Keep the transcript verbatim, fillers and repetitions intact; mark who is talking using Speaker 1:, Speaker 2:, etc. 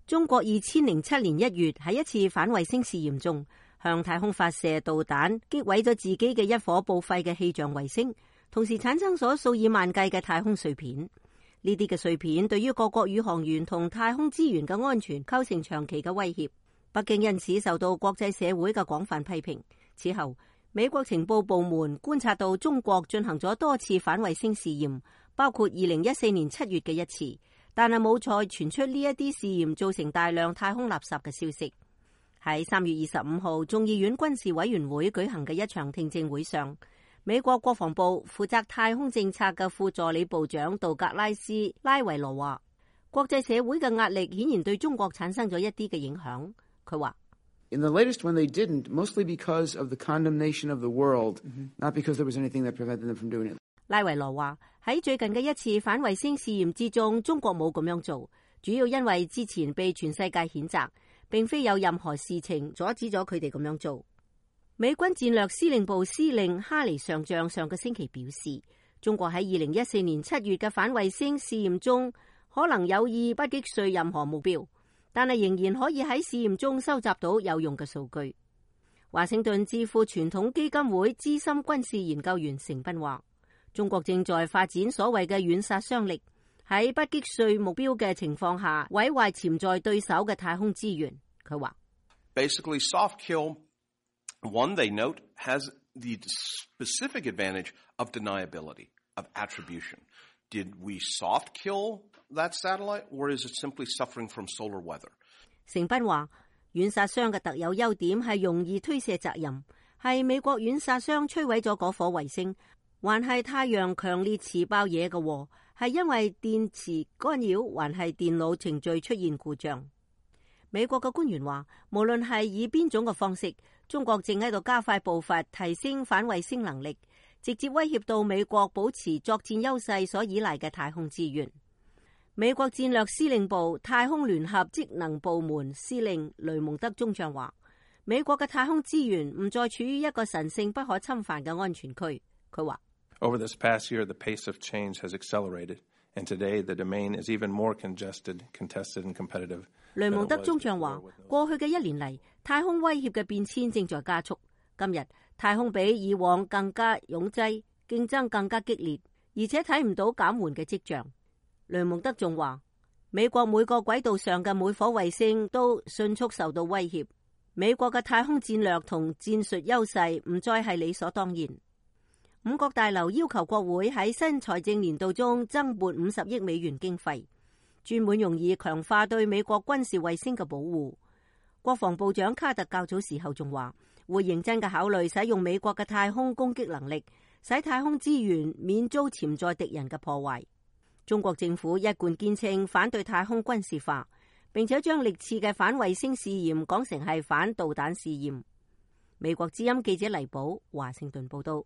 Speaker 1: 中國二千零七年一月喺一次反衛星試驗中，向太空發射導彈，擊毀咗自己嘅一顆報廢嘅氣象衛星，同時產生咗數以萬計嘅太空碎片。呢啲嘅碎片對於各國宇航員同太空資源嘅安全構成長期嘅威脅。北京因此受到國際社會嘅廣泛批評。此後，美國情報部門觀察到中國進行咗多次反衛星試驗，包括二零一四年七月嘅一次，但係冇再傳出呢一啲試驗造成大量太空垃圾嘅消息。喺三月二十五號眾議院軍事委員會舉行嘅一場聽證會上，美國國防部負責太空政策嘅副助理部長道格拉斯·拉維羅話，國際社會嘅壓力顯然對中國產生咗一啲嘅影響。佢話
Speaker 2: ：In the latest one, they didn't, mostly because of the condemnation of the world, not because there was anything that prevented them from doing it.
Speaker 1: 拉維羅話喺最近嘅一次反衛星試驗之中，中國冇咁樣做，主要因為之前被全世界譴責，並非有任何事情阻止咗佢哋咁樣做。美軍戰略司令部司令哈尼上將上個星期表示，中國喺二零一四年七月嘅反衛星試驗中，可能有意不擊碎任何目標，但係仍然可以喺試驗中收集到有用嘅數據。華盛頓智庫傳統基金會資深軍事研究員成斌話，中國正在發展所謂嘅軟殺傷力，喺不擊碎目標嘅情況下毀壞潛在對手嘅太空資源。佢話
Speaker 3: Basically, soft kill, one they note, has the specific advantage of deniability, of attribution. Did we soft kill that satellite, or is it simply suffering from solar weather?
Speaker 1: 成斌話，軟殺傷嘅特有優點係容易推卸責任，係美國軟殺傷摧毀咗嗰顆衛星，還係太陽強烈磁爆嘢嘅禍，係因為電磁干擾，還係電腦程序出現故障。美國嘅官員話，無論係以邊種嘅方式，中國正喺度加快步伐提升反衛星能力，直接威脅到美國保持作戰優勢所依賴嘅太空資源。美國戰略司令部太空聯合職能部門司令雷蒙德中將話，美國嘅太空資源唔再處於一個神聖不可侵犯嘅安全區。佢話
Speaker 4: Over this past year, the pace of change has accelerated, and today the domain is even more congested, contested, and competitive.
Speaker 1: 雷蒙德中將話，過去嘅一年嚟，太空威脅嘅變遷正在加速。今日太空比以往更加擁擠，競爭更加激烈，而且睇唔到減緩嘅跡象。雷蒙德仲話，美國每個軌道上嘅每顆衛星都迅速受到威脅，美國嘅太空戰略同戰術優勢唔再係理所當然。五角大樓要求國會喺新財政年度中增撥五十億美元經費，專門用以強化對美國軍事衛星嘅保護。國防部長卡特較早時候仲話，會認真嘅考慮使用美國嘅太空攻擊能力，使太空資源免遭潛在敵人嘅破壞。中國政府一貫堅稱反對太空軍事化，並且將歷次嘅反衛星試驗講成係反導彈試驗。美國之音記者黎寶華盛頓報道。